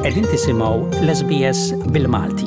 Qegħdin tisimgħu l-SBS bil-Malti.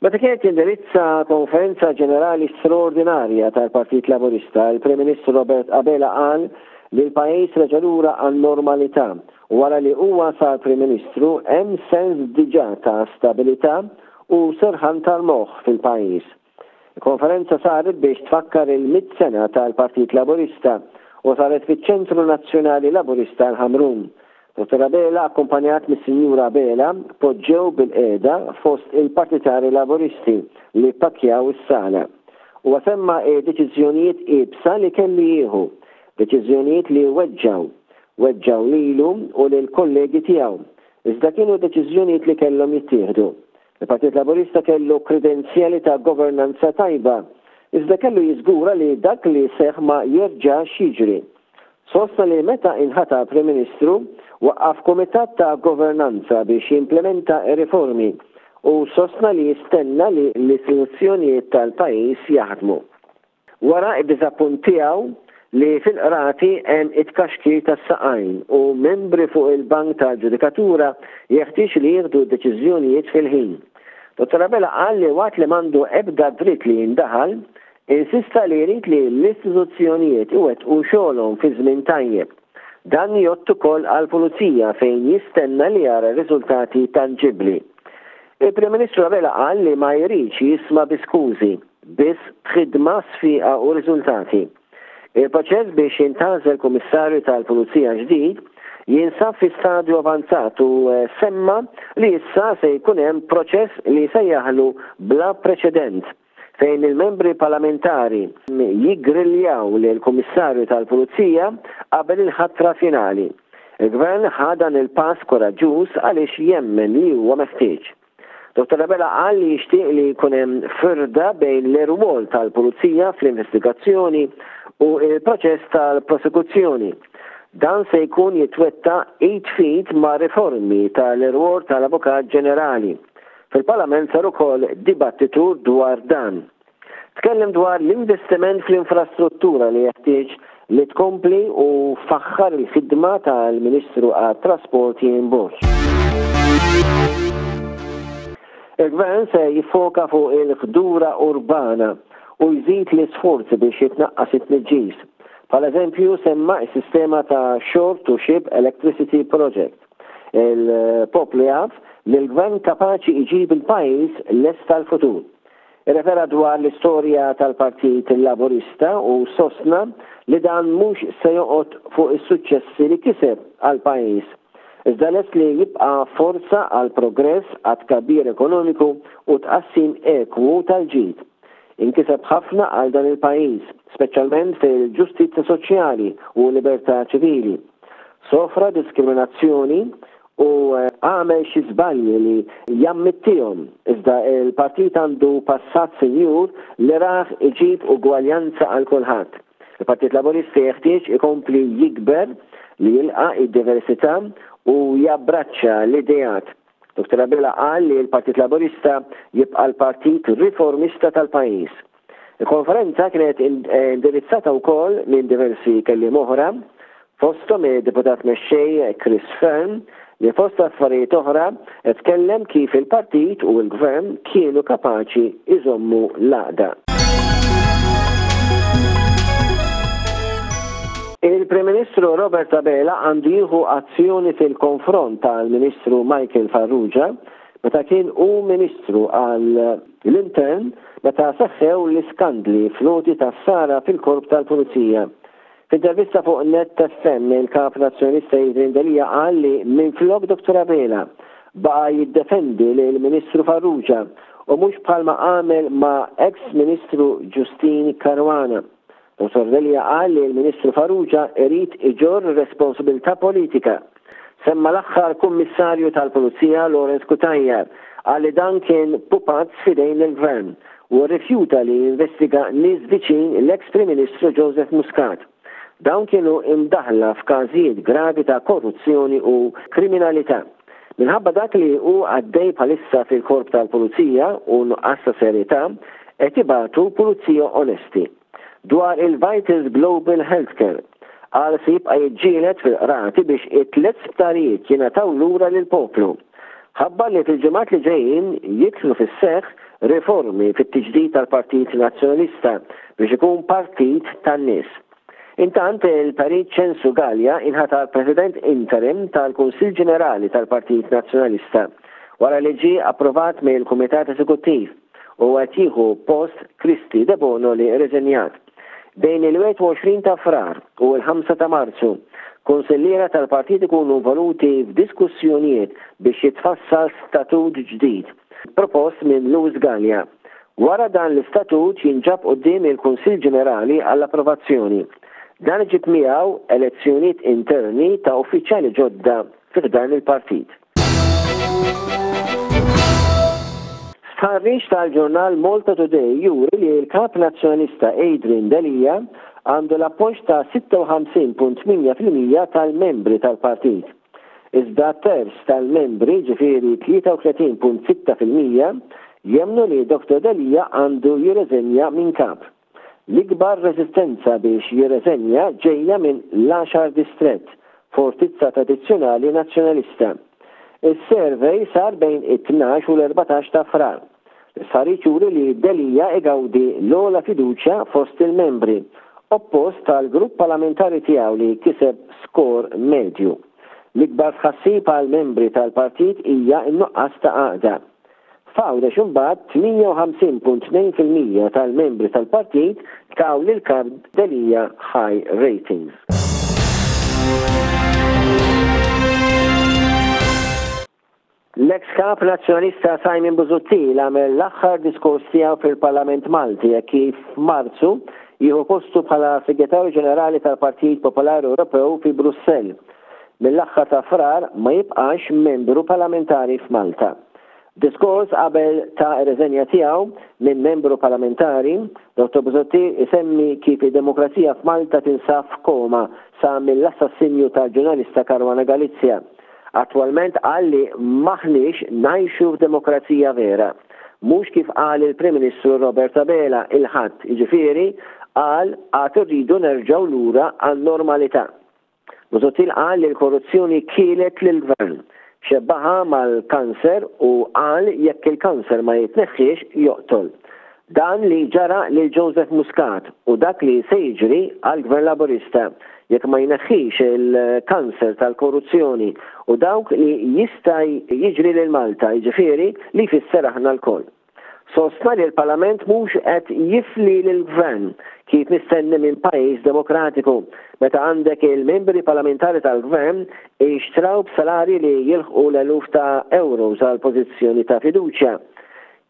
Meta kienet jindirizza konferenza ġenerali straordinarja tal-Partit Laburista, il-Prim Ministru Robert Abela qal li l-pajjiż reġa' lura għan-normalità u wara li huwa sar Prim Ministru hemm sens diġà ta' stabilità u serħan tal-moħħ fil-pajjiż. Il-konferenza saret biex tfakkar il-mitt sena tal-Partit Laburista u saret fiċ-Ċentru Nazzjonali Laburista l-Ħamrun. Dottor Abela akkumpanjat mis-Sinjura Abela poġġew bilqiegħda fost il-partitari Laburisti li ppakkjaw is-sala. Huwa semma d-deċiżjonijiet iebsa li kellu jieħu, deċiżjonijiet li weġġgħu. Weġġgħu lilu u lill-kollegi tiegħu, iżda kienu deċiżjonijiet li kellhom jittieħdu. Il-Partit Laburista kellu kredenzjali ta' governanza tajba, iżda kellu jiżgura li dak li seħħ ma jerġax jiġri. Sostna li meta inħatar Prim Ministru, waqqaf kumitat ta' governanza biex jimplementa r-riformi u sostna li jistenna li l-istituzzjonijiet tal-pajjiż jaħdmu. Wara d-diżappunt tiegħu li fil-Qrati hemm it-tkaxkir tas-saqajn u membri fuq il-bank tal-ġudikatura jeħtieġ li jieħdu deċiżjonijiet fil-ħin. Dottor Abela qal li waqt li m'għandu ebda dritt li jindaħal, insista li jrid li l-istituzzjonijiet iwettqu xogħolhom fi żmien tajjeb. Dan jgħodd ukoll għall-Pulizija fejn jistenna li jara riżultati tanġibbli. Il-Prim Ministru Abela qal li ma jridx jisma' bi skużi. biss b'ħidma sfiqa u riżultati. Il-proċess biex jintgħażel Kummissarju tal-Pulizija ġdid jinsab fi stadju avanzat u semma li issa se jkun hemm proċess li sejjaħlu bla preċedent fejn il-membri parlamentari jiggriljaw lill-Kummissarju tal-Pulizija qabel il-ħatra finali. Il-Gvern ħa dan il-pass kuraġġuż għaliex jemmen li huwa meħtieġ. Dottor Abela qal li jixtieq li jkun hemm firda bejn l-irwol tal-Pulizija fl-investigazzjoni u l-proċess tal-prosekuzzjoni. Dan se jkun jitwettaq id f'id ma' riformi tal-irwol tal-Avukat Ġenerali. Fil-Parlament sar ukoll dibattitu dwar dan. Tkellem dwar l-investiment fl-infrastruttura li jeħtieġ li tkompli u faħħar il-ħidma tal-Ministru għat-Trasport Ian Borg. Il-Gvern se jiffoka fuq il-ħdura urbana u jżid l-isforzi biex jitnaqqas it-tniġġis. Bħala eżempju semma s-sistema ta' Shore to Ship Electricity Project. Il-poplu jaf li l-Gvern kapaċi jġib il-pajjiż lest għall-futur. Irrefera dwar l-istorja tal-Partit Laburista u sostna li dan mhux se joqgħod fuq is-suċċessi li kiseb għall-pajjiż, iżda lest li jibqa' forza għall-progress, għat-tkabbir ekonomiku u tqassim ekwu tal-ġid. Inkiseb ħafna għal dan il-pajjiż, speċjalment fil-ġustizzja soċjali u l-libertà ċivili. Sofra diskriminazzjoni u għamel xi żbalji li jammittihom, iżda l-partit għandu passat sinjur li rah iġib ugwaljanza għal kulħadd. Il-Partit Laburista jeħtieġ ikompli jikber, li jilqa' d-diversità u jabbraċċa l-ideat. Dottor Abela qal li l-Partit Laburista jibqa' l-partit riformista tal-pajjiż. Il-konferenza kienet indirizzata wkoll minn diversi kelliem oħra, fosthom id-Deputat Mexxej Chris Fearne li fost affarijiet oħra tkellem kif il-partit u l-Gvern kienu kapaċi jżommu l-għaqda. Il-Prim Ministru Robert Abela għandu jieħu azzjoni fil-konfront tal-Ministru Michael Farrugia meta kien hu Ministru għal l-Intern meta seħħew l-iskandli fl-għoti tas-sara fil-Korp tal-Pulizija. F'intervista fuq Net FM, il-Kap Nazzjonalista Adrian Delia qal li minflok Dottor Abela baqa' jiddefendi lill-Ministru Farrugia u mhux bħalma għamel ma' eks Ministru Justyne Caruana. Dottor Delia qal li l-Ministru Farrugia irid iġorr responsabilità politika. Semma l-aħħar Kummissarju tal-Pulizija Lawrence Cutajar, qal li dan kien pupazz f'idejn il-Gvern u rrifjuta li jinvestiga nies viċin l-eks Prim Ministru Joseph Muscat. Dawn kienu imdaħħla f'każijiet gravi ta' korruzzjoni u kriminalità. Minħabba dak li hu għaddej bħalissa fil-Korp tal-Pulizija u nuqqas ta' serjetà, qed ibatu pulizija onesti. Dwar il-Vitals Global Healthcare. Qal se jibqa' jiġġieled fil-qrati biex it-tlett sptarijiet jingħataw lura lill-poplu. Ħabbar li fil-ġimgħat li ġejjin jidħlu fis-seħħ riformi fit-tiġdid tal-Partit Nazzjonalista biex ikun partit tan-nies. Intant, il-Perit Ċensu Galea inħatar President Interim tal-Kunsill Ġenerali tal-Partit Nazzjonalista wara li ġie approvat mill-Kumitat Eżekuttiv u qed jieħu post Kristy Debono li rriżenjat. Bejn il-21 ta' Frar u l-ħamsa ta' Marzu, kunsilliera tal-partit ikunu involuti f'diskussjonijiet biex jitfassal statut ġdid, propost minn Louis Galea. Wara dan l-istatut jinġab quddiem il-Kunsill Ġenerali għall-approvazzjoni. Dan iġib miegħu elezzjonijiet interni ta' uffiċjali ġodda fi ħdan il-partit. Stħarriġ tal-ġurnal Malta Today juri li l-Kap Nazzjonalista Adrian Delia għandu l-appoġġ ta' 56.8% tal-membri tal-partit. Iżda terz tal-membri, ġifieri 33.6%, jemmnu li Dottor Delia għandu jirreżenja minn Kap. L-ikbar reżistenza biex jirreżenja ġejja minn l-għaxar distrett, fortizza tradizzjonali Nazzjonalista. Is-survey sar bejn it-tnax u l-erbatax ta' Frar. L-istħarriġ juri li Delia igawdi l-ogħla fiduċja fost il-membri, oppost tal-grupp parlamentari tiegħu li kiseb skor medju. L-ikbar tħassib għall-membri tal-partit hija n-nuqqas ta' għaqda. F'Għawdex imbagħad 58.2% tal-membri tal-partit taw lil Kap Delia high ratings. L-eks Kap Nazzjonalista Simon Busuttil għamel l-aħħar diskors tiegħu fil-Parlament Malti hekk kif f'Marzu jieħu postu bħala Segretarju Ġenerali tal-Partit Popolari Ewropew fi Brussell. Mill-aħħar ta' Frar ma jibqax membru parlamentari f'Malta. F'diskors qabel ta r-riżenja tiegħu minn membru parlamentari, Dottor Busuttil isemmi kif id-demokrazija f'Malta tinsab f'koma sa mill-assassinju tal-ġurnalista Caruana Galizia. Attwalment qal li m'aħniex ngħixu f'demokrazija vera. Mhux kif qal il-Prim Ministru Robert Abela il-Ħadd, jiġifieri qal għad irridu nerġgħu lura għan-normalità. Busuttil qal li l-korruzzjoni kielet lill-Gvern. Xebbaha mal-kanser u qal jekk il-kanser ma jitneħħiex joqtol. Dan li ġara lil Joseph Muscat u dak li se jiġri għall-Gvern Laburista jekk ma jneħħix il-kanser tal-korruzzjoni u dawk li jista' jiġri lil Malta, jiġifieri li jfisser aħna lkoll. Sostna li l-Parlament mhux qed jifli lill-Gvern, kif mistenni minn pajjiż demokratiku, meta għandek il-membri parlamentari tal-Gvern jixtraw b'salarji li jilħqu l-eluf ta' euros għal pożizzjoni ta' fiduċja.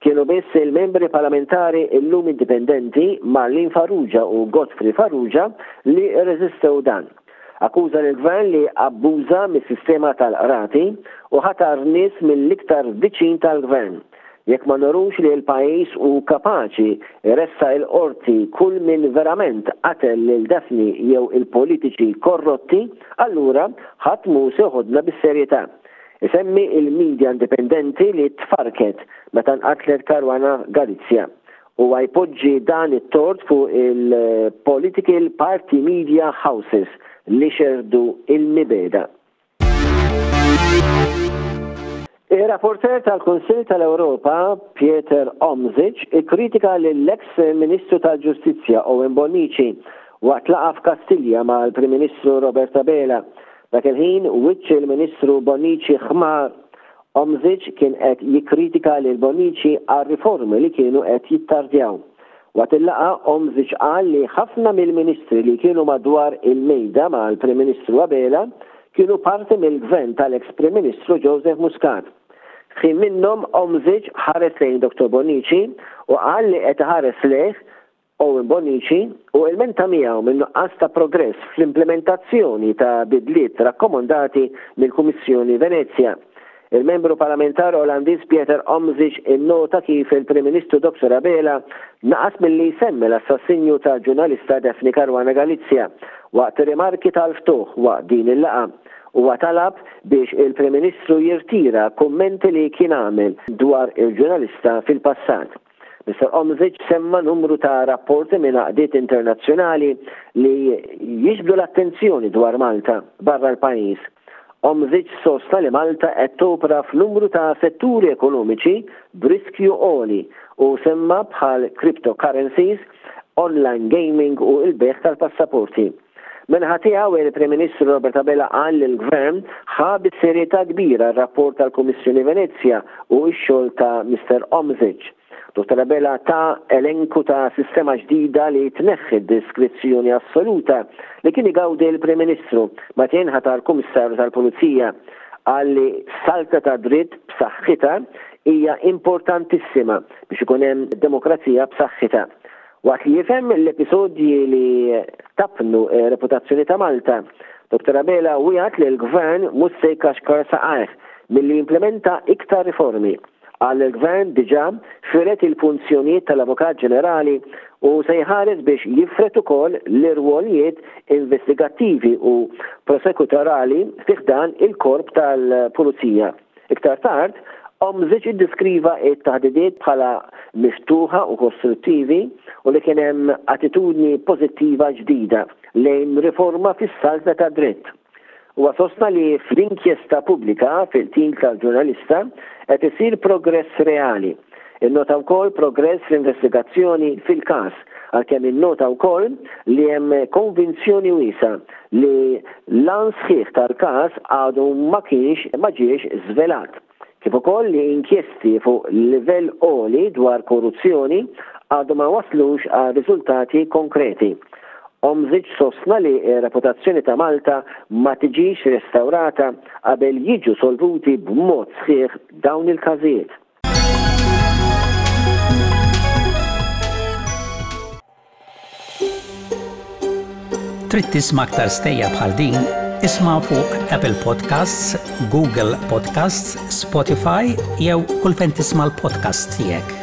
Kienu biss il-membri parlamentari illum indipendenti Marlene Farrugia u Godfrey Farrugia li rreżistew dan. Akkuża lill-Gvern li abbuża mis-sistema tal-qrati u ħatar nies mill-iktar viċin tal-Gvern. Jekk ma nurux li l-pajjiż hu kapaċi jressaq il-Qorti kull min verament qatel lil Daphne jew il-politiċi korrotti, allura ħadd mhu se joħodna bis-serjetà. Isemmi l-media indipendenti li tfarrket meta nqatlet Caruana Galizia. Huwa jpoġġi dan it-tort fuq il-political party media houses li xerrdu l-mibegħda. Ir-rapporteur tal-Kunsill tal-Ewropa, Pieter Omtzigt, ikkritika lill-eks Ministru tal-Ġustizzja Owen Bonnici waqt laqgħa f'Kastilja mal-Prim Ministru Robert Abela. Dak il-ħin, wiċċ il-Ministru Bonnici ħmar. Omtzigt kien qed jikkritika lil Bonnici għar-riformi li kienu qed jittardjaw. Waqt il-laqgħa, Omtzigt qal li ħafna mill-ministri li kienu madwar il-mejda mal-Prim Ministru Abela kienu parti mill-Gvern tal-eks Prim Ministru Joseph Muscat. F'ħin minnhom Omtzigt ħares lejn Dottor Bonnici u qal li qed iħares lejh Owen Bonnici u ilmenta miegħu min-nuqqas ta' progress fl-implimentazzjoni ta' bidliet rakkomandati mill-Kummissjoni Venezja. Il-Membru Parlamentari Olandiż Pieter Omtzigt innota kif il-Prim Ministru Dottor Abela naqas milli jsemmi l-assassinju tal-ġurnalista Daphne Caruana Galizia waqt rimarki tal-ftuħ waqt din il-laqgħa. Huwa talab biex il-Prim Ministru jirtira kummenti li kien għamel dwar il-ġurnalista fil-passat. Mister Omzic semma numru ta' rapporti minn għaqdiet internazzjonali li jiġbdu l-attenzjoni dwar Malta barra l-pajjiż. Omzic sostna li Malta qed topera f'numru ta' setturi ekonomiċi b'riskju għoli u semma bħal cryptocurrencies, online gaming u l-bejgħ tal-passaporti. Min-naħa tiegħu, il-Prim Ministru Robert Abela qal li l-Gvern ħa bis-serjetà kbira r-rapport tal-Kummissjoni Venezja u x-xogħol ta' Mister Omzic. Dottor Abela ta elenku ta' sistema ġdida li tneħħi d-diskrezzjoni assoluta li kien igawdi l-Prim Ministru meta jinħatar Kummissarju tal-Pulizija. Qal li saltna ta' dritt b'saħħitha hija importantissima biex ikun hemm demokrazija b'saħħitha. Waqt li jifhem l-episodji li tappnu r-reputazzjoni ta' Malta, Dottor Abela wiegħed li l-Gvern mhux se jkaxkar saqajh milli jimplementa iktar riformi. Qal li l-Gvern diġà fired il-funzjonijiet tal-Avukat Ġenerali u se jħares biex jifred ukoll l-irwolijiet investigattivi u prosekutorali fi ħdan il-Korp tal-Pulizija. Iktar tard, Omzic iddeskriva t-taħdidiet bħala miftuħa u kostruttivi u li kien hemm attitudni pożittiva ġdida lejn riforma fis-saltna tad-dritt. Huwa sostna li fl-inkjesta pubblika fil-qtil tal-ġurnalista qed isir progress reali. Innota wkoll progress fl-investigazzjoni fil-każ, għalkemm innota wkoll li hemm konvinzjoni wiesgħa li l-għan sħiħ tal-każ għadu ma kienx ma ġiex żvelat. Kif ukoll li inkjesti fuq livell għoli dwar korruzzjoni għadhom ma wasslux għal riżultati konkreti. Omzic sostna li r-reputazzjoni ta' Malta ma tiġix restawrata qabel jiġu solvuti b'mod sħiħ dawn il-każijiet. Trid tisma' aktar stejjer bħal din? Isma' fuq Apple Podcasts, Google Podcasts, Spotify jew kull fejn tisma' l-podcasts tiegħek.